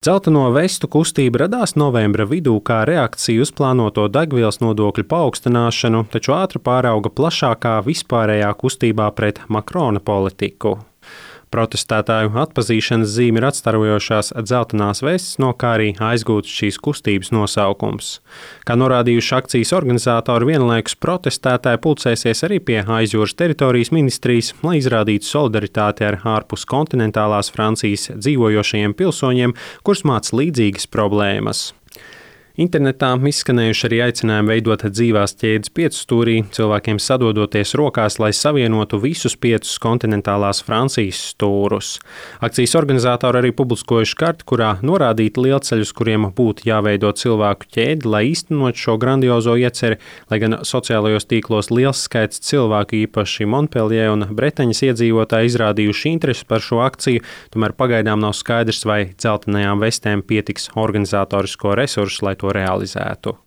Dzelteno vestu kustība radās novembra vidū kā reakcija uz plānoto degvielas nodokļu paaugstināšanu, taču ātri pārauga plašākā vispārējā kustībā pret Makrona politiku. Protestētāju atpazīšanas zīme ir atstarojošās dzeltenās vestes, no kā arī aizgūts šīs kustības nosaukums. Kā norādījuši akcijas organizatori, vienlaikus protestētāji pulcēsies arī pie aizjūras teritorijas ministrijas, lai izrādītu solidaritāti ar ārpus kontinentālās Francijas dzīvojošajiem pilsoņiem, kurus māc līdzīgas problēmas. Internetā izskanējuši arī aicinājumi veidot dzīvās ķēdes piecstūrī, cilvēkiem sadodoties rokās, lai savienotu visus 5 kontinentālās Francijas stūrus. Akcijas organizatori arī publiskojuši karti, kurā norādīti lielceļus, kuriem būtu jāveido cilvēku ķēdi, lai īstenot šo grandiozo ieceri, lai gan sociālajos tīklos liels skaits cilvēku, īpaši Montpellier un Bretaņas iedzīvotāji, izrādījuši interesi par šo akciju, tomēr pagaidām nav skaidrs, vai dzeltenajām vestēm pietiks organizatorisko resursu, lai to realizētu.